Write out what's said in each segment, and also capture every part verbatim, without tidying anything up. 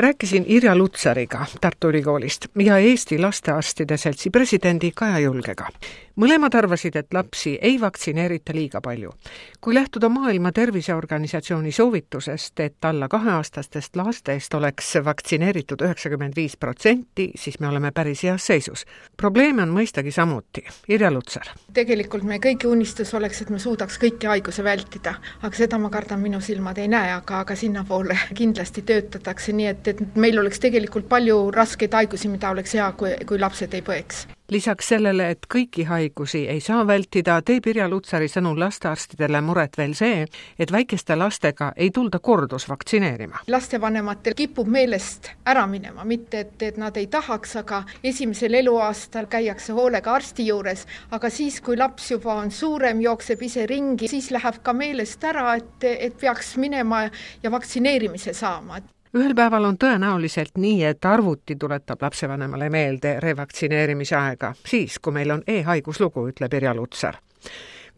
Rääkisin Irja Lutsariga Tartu Ülikoolist ja Eesti Lastearstide Seltsi presidendi Kaja Julgega. Mõlemad arvasid, et lapsi ei vaktsineerita liiga palju. Kui lähtuda Maailma Terviseorganisatsiooni soovitusest, et alla kaheaastastest lastest oleks vaktsineeritud üheksakümmend viis protsenti, siis me oleme päris heas seisus. Probleeme on mõistagi samuti. Irja Lutsar. Tegelikult me kõigi unistus oleks, et me suudaks kõiki haiguse vältida, aga seda ma kardan minu silmad ei näe, aga, aga sinna poole kindlasti töötatakse nii, et, et meil oleks tegelikult palju raskeid haigusi, mida oleks hea, kui, kui lapsed ei põeks. Lisaks sellele, et kõiki haigusi ei saa vältida, teeb Irja Lutsari sõnul lastearstidele muret veel see, et väikeste lastega ei tulda kordus vaktsineerima. Lastevanematel kipub meelest ära minema, mitte et, et nad ei tahaks, aga esimesel eluaastal käiakse hoolega arsti juures, aga siis, kui laps juba on suurem, jookseb ise ringi, siis läheb ka meelest ära, et, et peaks minema ja vaktsineerimise saama. Ühel päeval on tõenäoliselt nii, et arvuti tuletab lapsevanemale meelde revaktsineerimise aega, siis kui meil on e-haiguslugu, ütleb Irja Lutsar.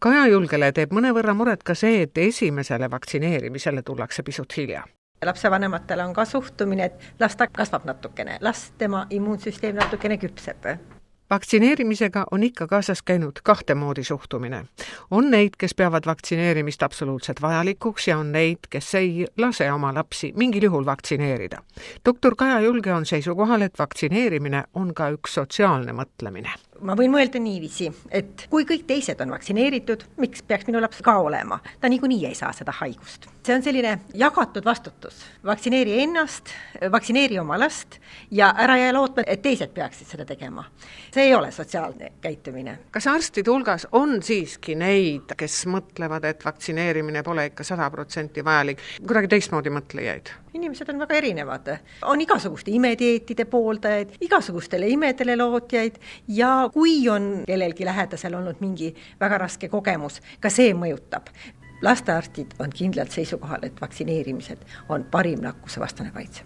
Kaja Julgele teeb mõnevõrra muret ka see, et esimesele vaktsineerimisele tullakse pisut hilja. Lapsevanematele on ka suhtumine, et las ta kasvab natukene, las tema immuunsüsteem natukene küpseb. Vaktsineerimisega on ikka kaasas käinud kahte moodi suhtumine. On neid, kes peavad vaktsineerimist absoluutselt vajalikuks ja on neid, kes ei lase oma lapsi mingil juhul vaktsineerida. Doktor Kaja Julge on seisukohal, et vaktsineerimine on ka üks sotsiaalne mõtlemine. Ma võin mõelda niiviisi, et kui kõik teised on vaktsineeritud, miks peaks minu laps ka olema? Ta niikuinii ei saa seda haigust. See on selline jagatud vastutus. Vaktsineeri ennast, vaktsineeri oma last ja ära jää lootma, et teised peaksid seda tegema. See ei ole sotsiaalne käitumine. Kas arstide hulgas on siiski neid, kes mõtlevad, et vaktsineerimine pole ikka sada protsenti vajalik? Kuidagi teistmoodi mõtlejaid? Inimesed on väga erinevad. On igasuguste imedieetide pooldajaid, igasugustele imedele lootjaid ja kui on kellelgi lähedasel olnud mingi väga raske kogemus, ka see mõjutab. Lastearstid on kindlalt seisukohal, et vaktsineerimised on parim nakkuse vastane kaitse.